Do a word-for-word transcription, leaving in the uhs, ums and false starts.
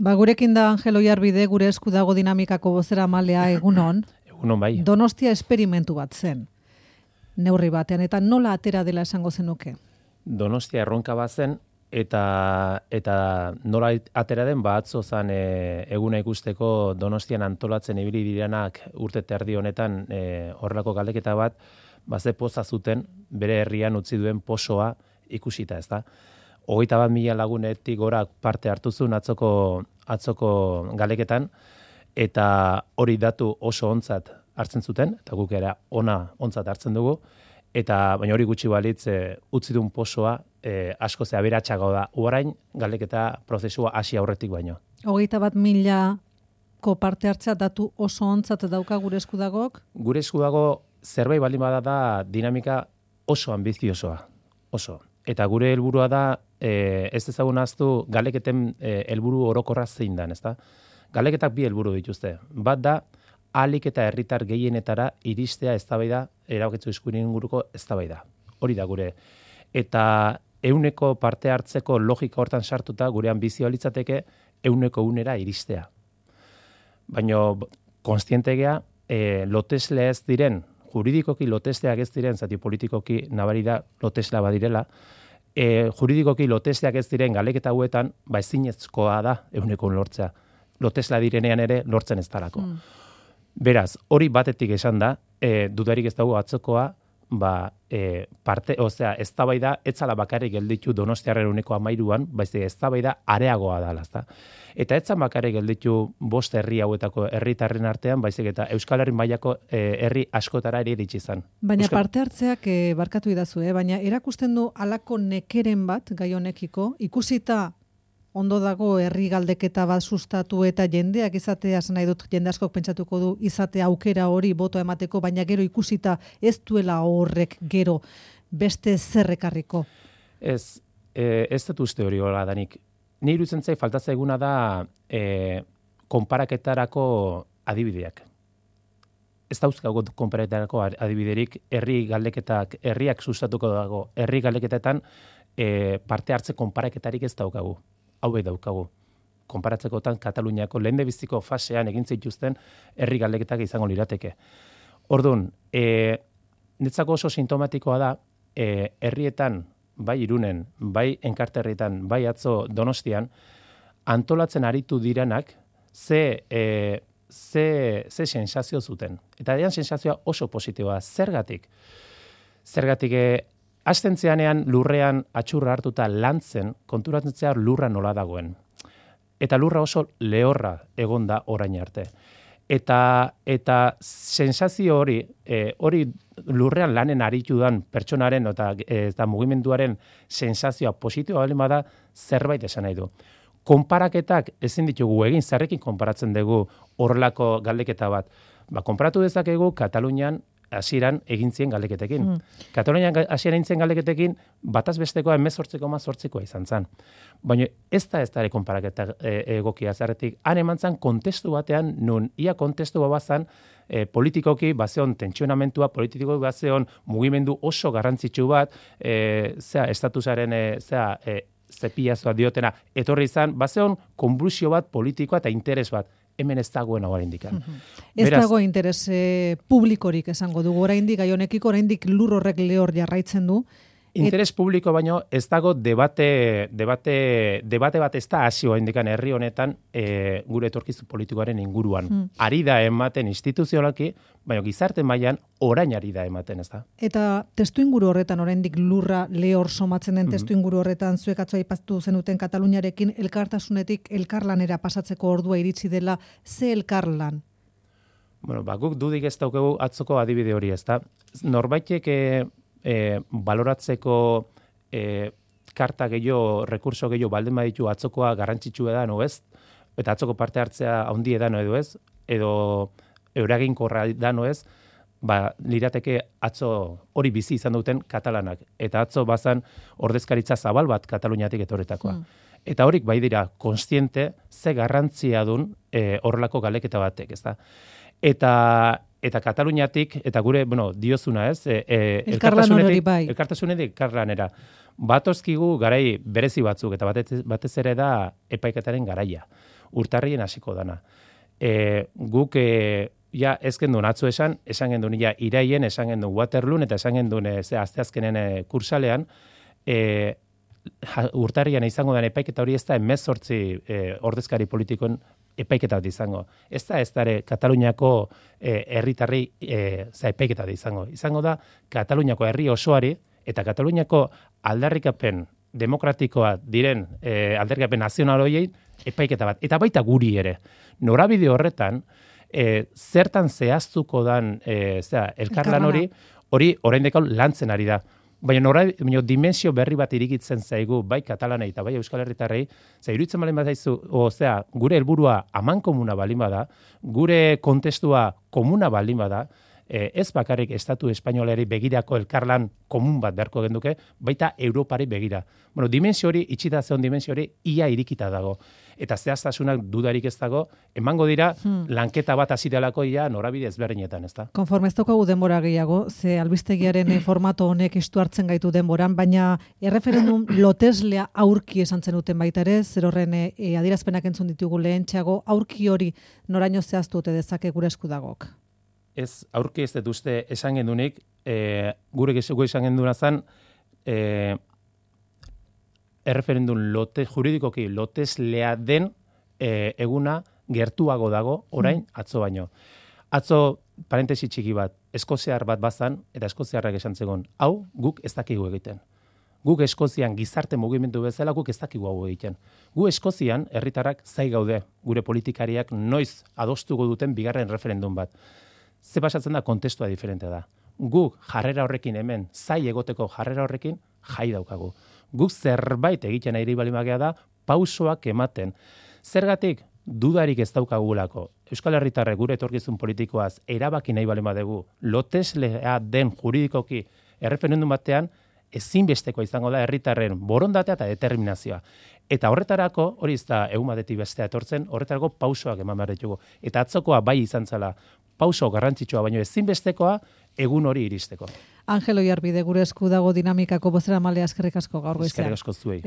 Ba, gurekin da Angel Oiarbide, gure esku dago dinamikako bozera malea egunon. Egunon bai. Donostia esperimentu bat zen, neurri batean, eta nola atera dela esango zenuke? Donostia erronka bat zen, eta, eta nola atera den, ba, atzo zan e, eguna ikusteko Donostian antolatzen ibili direnak urte terdi honetan e, horrelako galdeketa bat, ba, ze poza zuten bere herrian utzi duen posoa ikusita, ez da? Hogeita bat mila lagunetik gora parte hartu zuen atzoko, atzoko galeketan, eta hori datu oso ontzat hartzen zuten, eta guk era ona ontzat hartzen dugu, eta baina hori gutxi balitz e, utzi duen posoa e, asko ze aberatsago da. Orain galeketa prozesua hasi aurretik baino. Hogeita bat milako parte hartzea datu oso ontzat dauka gure eskudagok? Gure eskudago zerbait baldin bada da dinamika oso ambiziosoa, oso. Eta gure helburua da, e, ez ezagun ahaztu galeketen e, helburu orokorra zein dan, ezta? Galeketak bi helburu dituzte. Bat da, ahalik eta herritar gehienetara iristea eztabaida, erabakitzu eskubideen inguruko eztabaida. Hori da gure. Eta euneko parte hartzeko logika hortan sartuta gure anbizioa litzateke euneko unera iristea. Baina konstientegea e, loteslea ez diren, juridikoki lotesteak ez diren, zati politikoki nabari da loteslea badirela, e, juridikoki lotesteak ez diren galeketa hauetan, ba ezinezkoa da euneko un lortzea. Lotesla direnean ere lortzen ez dalako. Mm. Beraz, hori batetik esan da, e, dudarik ez dago atzokoa, ba, e, parte, osea, eztabaida etzala bakarrik gelditu Donostiarren uneko amairuan, baizik eztabaida areagoa dala, ezta. Eta etzan bakarrik gelditu bost herri hauetako herritarren artean, baizik eta Euskal Herri mailako e, herri askotara ere iritsi izan. Baina Euskal... parte hartzeak e, barkatu idazu, eh? Baina erakusten du halako nekeren bat gai honekiko, ikusita ondo dago herri galdeketa bat sustatu eta jendeak izatea, esan nahi dut jende askok pentsatuko du izatea aukera hori boto emateko, baina gero ikusita ez duela horrek gero beste zerrekarriko. Ez, e, ez dut uste hori hola danik. Ni iruditzen zait falta zaiguna da e, konparaketarako adibideak. Ez dauzkago konparaketarako adibiderik herri galdeketak, herriak sustatuko dago, herri galdeketetan e, parte hartze konparaketarik ez daukagu. Hauek daukagu. Konparatzekotan Kataluniako lehendebiziko fasean egin zituzten herri galdeketak izango lirateke. Orduan, e, netzako oso sintomatikoa da, e, herrietan, bai Irunen, bai Enkarterritan, bai atzo Donostian, antolatzen aritu direnak, ze, e, ze, ze sensazio zuten. Eta dean sensazioa oso positiboa. Zergatik? Zergatik, e, hasten zeanean lurrean atxurra hartuta lantzen, konturatzen zehar lurra nola dagoen. Eta lurra oso lehorra egon da orain arte. Eta, eta sensazio hori, e, hori lurrean lanen aritu dan pertsonaren eta, eta mugimenduaren sensazioa positiboa baldin bada zerbait esan nahi du. Konparaketak ezin ditugu egin, zerrekin konparatzen dugu horrelako galdeketa bat. Ba, konparatu dezakegu Katalunian hasieran egin zien galdeketekin. Mm. Katalunian hasieran egin zien galdeketekin bataz bestekoa hemezortzi koma zortzikoa izan zen. Baina ez da ez da ere konparaketa e, egokia zerretik. Han eman zen kontestu batean, nun ia kontestu bazan e, politikoki bazeon tentsionamentua, politikoki bazeon mugimendu oso garrantzitsu bat, e, zera, estatusaren, e, zera, e, zepiazoa diotena, etorri izan, bazeon konblusio bat politikoa eta interes bat. Hemen ez dagoen hau indikan. Mm-hmm. Ez Beraz, dago interes eh, publikorik esango dugu, oraindik gai honekiko, oraindik lur horrek lehor jarraitzen du. Interes Et... publiko baino ez dago debate, debate, debate bat ez da hasi indikan herri honetan e, gure etorkizu politikoaren inguruan. Mm. Ari da ematen instituzionalki, baina gizarte mailan orain ari da ematen, ez da. Eta testu inguru horretan oraindik lurra lehor somatzen den testu inguru horretan zuek atzo aipatu zenuten Kataluniarekin elkartasunetik elkarlanera pasatzeko ordua iritsi dela, ze elkarlan? Bueno, ba, guk dudik ez daukagu atzoko adibide hori, ez da. Norbaitek e, e, baloratzeko e, karta gehiago, rekurso gehiago baldin baditu atzokoa garrantzitsu edan, o ez? Eta atzoko parte hartzea handi edan, edo ez? Edo eraginkorra edan, o ez? Ba, lirateke atzo hori bizi izan duten katalanak. Eta atzo bazan ordezkaritza zabal bat Kataluniatik etorretakoa. Mm. Eta horik bai dira konstiente ze garrantzia dun e, horrelako galeketa batek, ez da? Eta eta Kataluniatik, eta gure, bueno, diozuna ez, e, e, elkartasunetik, bai. elkartasunetik elkarlanera. Batozkigu garai berezi batzuk, eta batez, batez ere da epaiketaren garaia. urtarrien hasiko dana. E, guk e, ja ez gendun atzo esan, esan gendun ja iraien, esan gendun Waterloon, eta esan gendun e, ze asteazkenen e, kursalean, e, urtarrian izango den epaiketa hori ez da hemezortzi e, ordezkari politikoen epaiketa bat izango. Ez da ez dare Kataluniako e, herritarri e, za epaiketa bat izango. Izango da Kataluniako herri osoari eta Kataluniako aldarrikapen demokratikoa diren e, aldarrikapen nazional horiei epaiketa bat. Eta baita guri ere. Norabide horretan, e, zertan zehaztuko dan e, zera, elkarlan hori, hori oraindik lantzen ari da. Baina nora, baina dimensio berri bat irikitzen zaigu, bai katalanei eta bai euskal herritarrei, ze iruditzen balin badaizu, osea, gure helburua amankomuna balin bada, gure kontestua komuna balin bada, eh, ez bakarrik estatu espainolari begirako elkarlan komun bat beharko genduke, baita Europari begira. Bueno, dimensio hori, itxita zeon dimensio hori, ia irikita dago. Eta zehaztasunak dudarik ez dago, emango dira, hmm. lanketa bat hasi delako ia norabide ezberdinetan, ez da? Konforme ez daukagu denbora gehiago, ze albistegiaren formato honek istu hartzen gaitu denboran, baina erreferendum loteslea aurki esan zen duten baita ere, zer horren e, adierazpenak entzun ditugu lehentxeago, aurki hori noraino zehaztu ote dezake gure esku dagok? Ez, aurki ez dut uste esan gendunik, e, gure gezuko esan genduna zen, e, erreferendum lote, juridikoki loteslea den e, eguna gertuago dago orain atzo baino. Atzo, parentesi txiki bat, eskoziar bat bazan, eta eskoziarrak esan zegoen, hau guk ez dakigu egiten. Guk Eskozian gizarte mugimendu bezala guk ez dakigu hau egiten. Gu Eskozian herritarrak zai gaude, gure politikariak noiz adostuko duten bigarren referendum bat. Ze pasatzen da, kontestua diferente da. Guk jarrera horrekin hemen, zai egoteko jarrera horrekin, jai daukagu. Guk zerbait egiten ari balimagea da, pausoak ematen. Zergatik, dudarik ez daukagulako. Euskal Herritarrek gure etorkizun politikoaz erabaki nahi balima dugu, loteslea den juridikoki erreferendum batean, ezinbesteko izango da herritarren borondatea eta determinazioa. Eta horretarako, hori ez da egun batetik bestea etortzen, horretarako pausoak eman behar ditugu. Eta atzokoa bai izan zela, pauso garrantzitsua, baino ezinbestekoa egun hori iristeko. Angelo Iarbide, gure esku dago dinamikako bozeramalea eskerrik asko gaur goizean. Eskerrik asko zuei.